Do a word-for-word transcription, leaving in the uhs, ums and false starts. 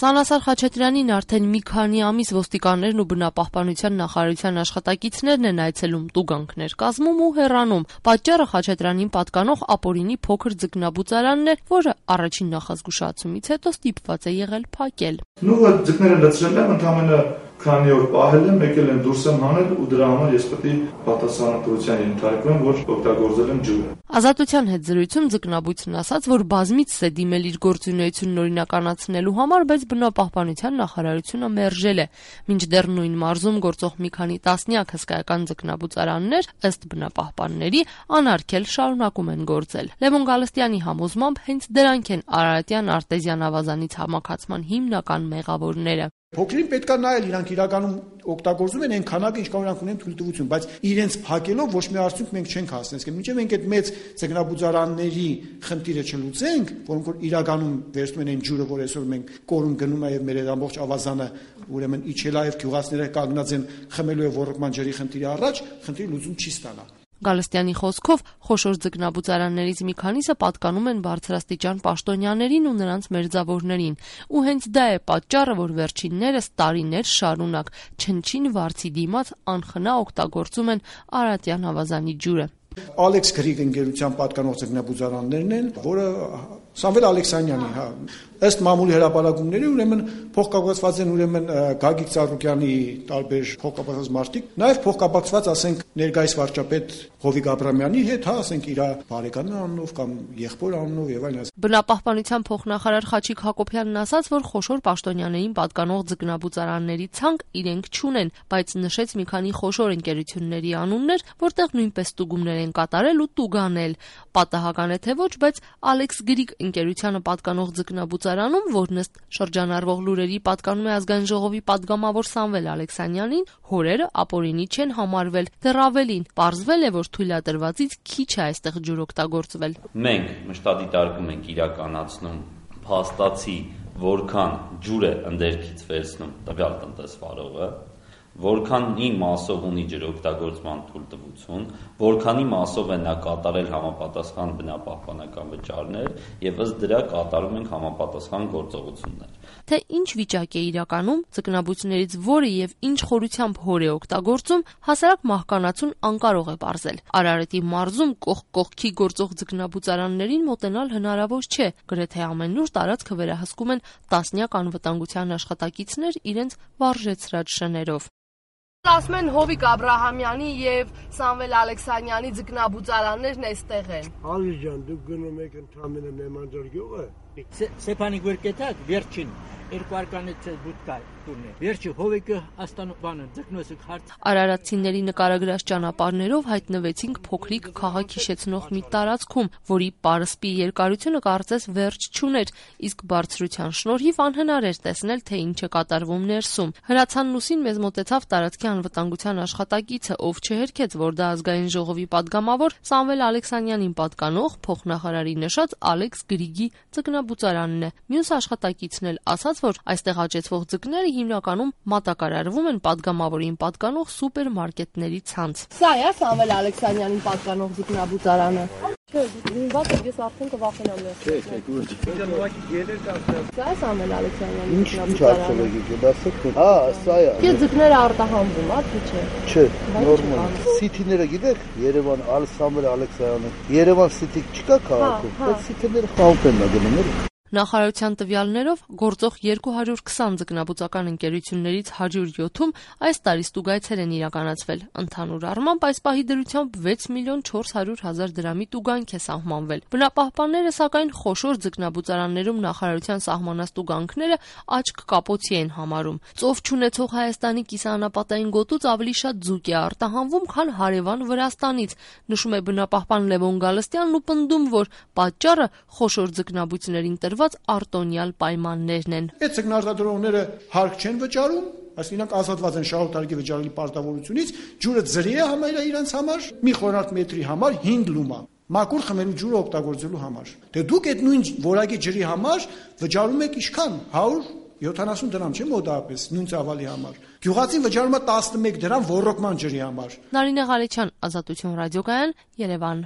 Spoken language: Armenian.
Սանասար Խաչատրյանին արդեն մի քանի ամիս ոստիկաններն ու բնապահպանության նախարարության աշխատակիցներն են այցելում, տուգանքներ կազմում ու հեռանում։ Պատճառը Խաչատրյանին պատկանող ապօրինի փոքր ձկնաբուծարանն էր, որը առաջին նախազգուշացումից հետո ստիպված է եղել փակել։ Նույնը ձկները լցրել եմ, ընդամենը քանի օր պահել եմ, եկել եմ դուրս եմ հանել ու դրա համար ես պետք է պատասխանատվության ենթարկվեմ, որ օգտագործել եմ ջուրը։ Ազատության հետ զրույցում ձկնաբույծն ասաց, որ բազմիցս է դիմել իր գործունեությունն օրինականացնելու համար, բայց բնապահպանության նախարարությունը մերժել է։ Մինչդեռ նույն մարզում գործող մի քանի տասնյակ հսկայական ձկնաբուծարաններ, ըստ բնապահպանների, անարգել շարունակում են գործել։ Լևոն Գալստյանի համոզմամբ հենց դրանք են Արարատյան արտեզյան ավազանից համակացման հիմնական մեղավորները։ Փոքրին պետք է նայել, իրանք իրականում օգտագործում են այն քանակը, ինչքան իրանք ունեն թույլտվություն, բայց իրենց փակելով ոչ մի արդյունք մենք չենք հասնեցել։ Մինչև մենք այդ մեծ ձկնաբուծարանների խնդիրը չլուծենք, որոնք որ իրականում վերցնում են այն ջուրը, որ այսօր մենք կորում գնում է եւ մեր այդ ամբողջ ավազանը ուրեմն իջել է եւ գյուղացիները կանգնած են խմելու եւ ոռոգման ջրի խնդիրի առաջ, խնդիրի լուծում չի ստանա։ Գալստյանի խոսքով խոշոր ձկնաբուծարաններից մի քանիսը պատկանում են բարձրաստիճան պաշտոնյաներին ու նրանց մերձավորներին, ու հենց դա է պատճառը, որ վերջիններս տարիներ շարունակ չնչին վարձի դիմաց անխնա օգտագործում են Արարատյան ավազանի ջուրը։ Ալեքս Գրիգ ընկերության պատկանող ձկնաբուծարաններն են, որը Սամվել Ալեքսանյանի, հա, ըստ մամուլի հրապարակումների, ուրեմն փոխկապակցված են ուրեմն Գագիկ Ծառուկյանի տարբեր փոխկապակցված մարդիկ, նաև փոխկապակցված, ասենք, ներկայիս վարչապետ Հովիկ Աբրամյանի հետ, հա, ասենք, իր բարեկամի անունով կամ եղբոր անունով եւ այլն։ Բնապահպանության փոխնախարար Խաչիկ Հակոբյանն ասաց, որ խոշոր պաշտոնյաներին պատկանող ձկնաբուծարանների ցանկ իրենք չունեն, բայց նշեց մի քանի խոշոր ընկերությունների անուններ, որտեղ նույնպես տուգումներ են կատարել ու տուգանել։ Պատահական է թե ոչ, բայց Ալեքս Գրիգ ընկերությանը պատկանող ձկնաբուծարանում, որն ըստ շրջանառվող լուրերի պատկանում է ազգային ժողովի падգամավոր Սամվել Ալեքսանյանին, հորերը ապօրինի չեն համարվել, դեռ ավելին, պարզվել է, որ թույլատրվածից քիչ է այստեղ ջուր օգտագործվել։ Մենք մշտադիտարկում ենք իրականացնում փաստացի, որքան ջուր է ընդերքից վերցնում տվյալ տնտեսվարողը, որքանի մասով ունի ջրօգտագործման թույլտվություն, որքանի մասով է նա կատարել համապատասխան բնապահպանական վճարներ եւ ըստ դրա կատարում ենք համապատասխան գործողություններ։ Թե ինչ վիճակ է իրականում, ձկնաբույծներից որը եւ ինչ խորությամբ հոր է օգտագործում, հասարակ մահկանացուն անկարող է պարզել։ Արարատի մարզում կողք կողքի գործող ձկնաբուծարաններին մոտենալ հնարավոր չէ, գրեթե ամենուր տարածքը վերահսկում են տասնյակ անվտանգության աշխատակիցներ իրենց վարժեցրած շներով։ Ասում են Հովիկ Աբրահամյանի եւ Սամվել Ալեքսանյանի ձկնաբուծարաններն այստեղ են։ Ալի ջան, դուք գնում եք ընդամենը Նեմանջար գյուղը։ Սեփանի գորկետակ վերջին երկու արկանից բուտկա տուրնե։ Վերջի Հովիկը աստան բանը ձկնոսը հարց։ Արարատցիների նկարագրած ճանապարհներով հայտնվեցինք փոքրիկ քաղաք հիշեցնող մի տարածքում, որի պարսպի երկարությունը կարծես վերջ չուներ, իսկ բարձրության շնորհիվ անհնար էր տեսնել, թե ինչ է կատարվում ներսում։ Հրացանն ուսին մեզ մոտեցավ տարածքի անվտանգության աշխատակիցը, ով չհերքեց, որ դա ազգային ժողովի падգամավոր Սամվել Ալեքսանյանին պատկանող փոխնախարարի նշած Ալեքս Գրիգի ձկնաբուծարանն է։ Մյուս աշխատակիցն էլ ասաց, որ այստեղ աճեցվող ձկները հիմնականում մատակարարվում են падգամավորին պատկանող սուպերմարկետների ցանց։ Սա է Սամվել Ալեքսանյանին պատկանող ձկնաբուծարանը։ Չէ, ինձ ես արդեն կվախենամ ես։ Չէ, չէ, դուք ելեր կասել։ Սա է Սամվել Ալեքսանյանի ձկնաբուծարանը։ Հա, սա է։ Չէ, ձկները արտահանվում, ա՞, թե չէ։ Չէ, նորմալ։ Սիթիները գիտեք, Երևան Սամվել Ալեքսանյանը։ Երևան Սիթի չկա քաղաքում, բայց սիթիները խաղում են գնում։ Նախարարության տվյալներով գործող երկու հարյուր քսան ձկնաբուծական ընկերություններից հարյուր յոթում այս տարի ստուգայցեր են իրականացվել։ Ընդհանուր առմամբ այս պահի դրությամբ վեց միլիոն չորս հարյուր հազար դրամի տուգանք է սահմանվել։ Բնապահպանները սակայն խոշոր ձկնաբուծարաններում նախարարության սահմանած տուգանքները աչք կապոցի են համարում։ Ծով չունեցող Հայաստանի կիսաանապատային գոտուց ավելի շատ ձուկ է արտահանվում, քան հարևան Վրաստանից, նշում է բնապահպան Լևոն Գալստյանն ու պնդում, որ պատճառը խոշոր ձկնաբույծներին տրված արտոնյալ պայմաններն են։ Այդ ձկնարտադրողները հարկ չեն վճարում, այսինքն իրանք ազատված են շահութարգի վճարելի պարտավորությունից, ջուրը ձրի է համարել իրենց համար, մի խորհրդ մետրի համար հինգ լումա։ Մաքուր խմելու ջուրը օգտագործելու համար։ Դե դուք այդ նույն որակի ջրի համար վճարում եք ինչքան հարյուր յոթանասուն դրամ չէ մոտավորապես նույն ծավալի համար։ Գյուղացին վճարում է տասնմեկ դրամ ոռոգման ջրի համար։ Նարինե Ղալեչյան, Ազատություն ռադիոկայան, Երևան։